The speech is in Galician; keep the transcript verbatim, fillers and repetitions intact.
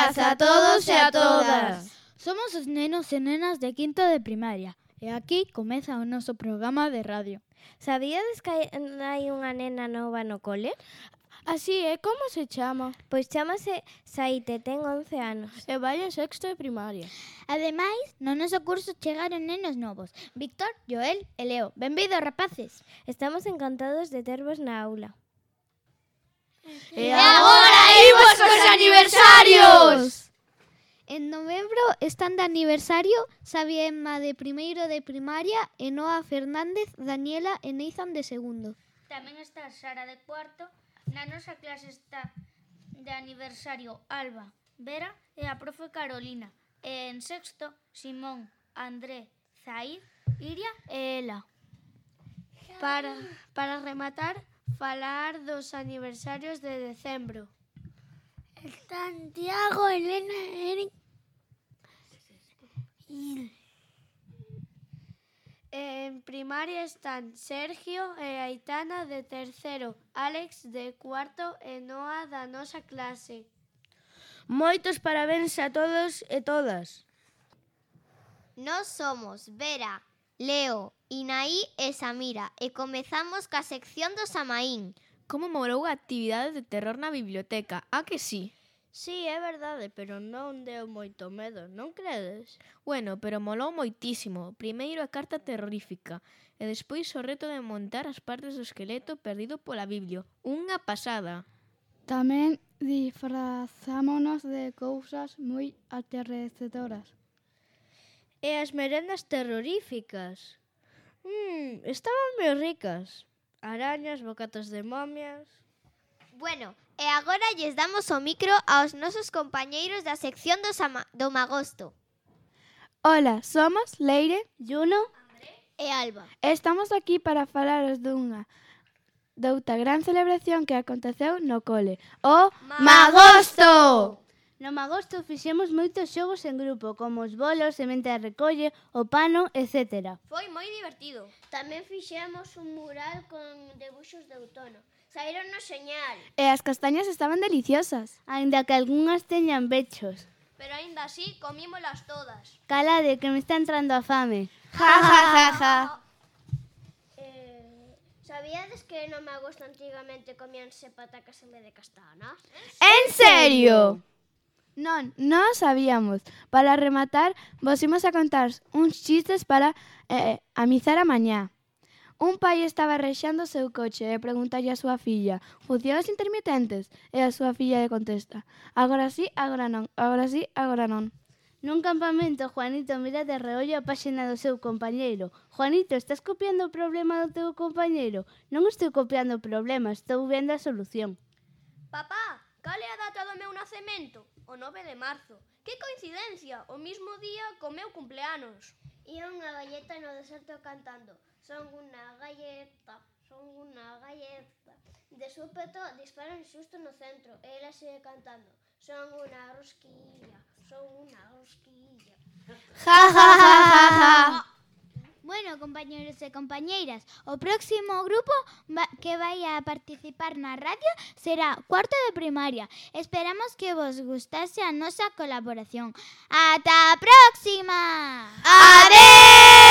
días a todos e a todas. Somos os nenos e nenas de quinto de primaria e aquí comeza o noso programa de radio. Sabíades que hai unha nena nova no cole? Así é, como se chama? Pois chámase Saite, ten once anos. E vai en sexto de primaria. Ademais, no noso curso chegaron nenos novos, Víctor, Joel e Leo. Benvidos, rapaces. Estamos encantados de tervos na aula. E agora imos cos aniversarios! En novembro están de aniversario Xavi e Emma de primeiro de primaria e Noa Fernández, Daniela e Neizan de segundo. Tamén está Sara de cuarto. Na nosa clase está de aniversario Alba, Vera e a profe Carolina. E en sexto, Simón, André, Zaid, Iria e Ela. Para, para rematar, falar dos aniversarios de decembro. Santiago, Elena, Eric. En primaria están Sergio e Aitana de terceiro, Alex de cuarto e Noa da nosa clase. Moitos parabéns a todos e todas. Nós somos Vera, Leo, Inaí e Samira e comezamos ca sección do Samaín. Como morou a actividade de terror na biblioteca, a que sí? Sí, é verdade, pero non deu moito medo, non credes? Bueno, pero molou moitísimo. Primeiro a carta terrorífica e despois o reto de montar as partes do esqueleto perdido pola Biblia. Unha pasada. Tamén disfrazámonos de cousas moi aterrecedoras. E as merendas terroríficas? Mmm, estaban moi ricas. Arañas, bocatas de momias... Bueno, e agora lles damos o micro aos nosos compañeiros da sección do, Sama, do Magosto. Ola, somos Leire, Juno e Alba. Estamos aquí para falaros dunha douta gran celebración que aconteceu no cole, o Magosto! No Magosto fixemos moitos xogos en grupo, como os bolos, semente de recolle, o pano, etcétera. Foi moi divertido. Tamén fixemos un mural con debuxos de outono. Saíronnos señal. E as castañas estaban deliciosas. Aínda que algunhas teñan bechos. Pero aínda así comímolas todas. Calade, que me está entrando a fame. Ja, ja, ja, ja. Eh, sabíades que no Magosto antigamente comíanse patacas en vez de castanas? En serio? Non, non sabíamos. Para rematar, vos imos a contar uns chistes para eh, amizar a mañá. Un pai estaba rexando o seu coche e preguntalle a súa filla: funcionan os intermitentes? E a súa filla lle contesta: agora sí, agora non, agora sí, agora non. Nun campamento, Juanito mira de reollo a páxina do seu compañeiro. Juanito, estás copiando o problema do teu compañeiro? Non estou copiando o problema, estou vendo a solución. Papá, cal é a data do meu nacemento? O nove de marzo. Que coincidencia, o mismo día co meu cumpleanos. Ía unha galleta no deserto cantando: son unha galleta, son unha galleta. De súpeto disparan xusto no centro e ela sigue cantando: son unha rosquilla, son unha rosquilla. Ja, ja, ja, ja, ja. Bueno, compañeros e compañeiras, o próximo grupo va, que vai a participar na radio será cuarto de primaria. Esperamos que vos gustase a nosa colaboración. ¡Ata a próxima! Adeu!